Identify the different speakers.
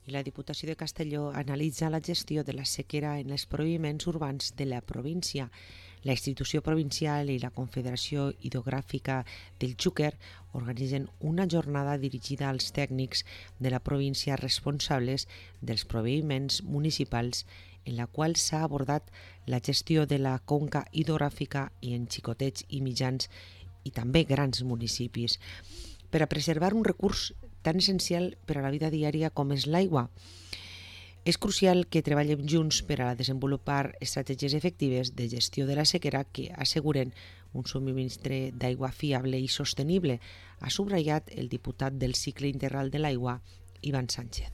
Speaker 1: I la Diputació de Castelló analitza la gestió de la sequera en els proviments urbans de la província. La institució provincial i la Confederació Hidrogràfica del Xúquer organitzen una jornada dirigida als tècnics de la província responsables dels proviments municipals, en la qual s'ha abordat la gestió de la conca hidrogràfica i en xicotets i mitjans i també grans municipis, per a preservar un recurs tan essencial per a la vida diària com és l'aigua. És crucial que treballem junts per a desenvolupar estratègies efectives de gestió de la sequera que asseguren un subministre d'aigua fiable i sostenible, ha subratllat el diputat del cicle integral de l'aigua, Ivan Sánchez.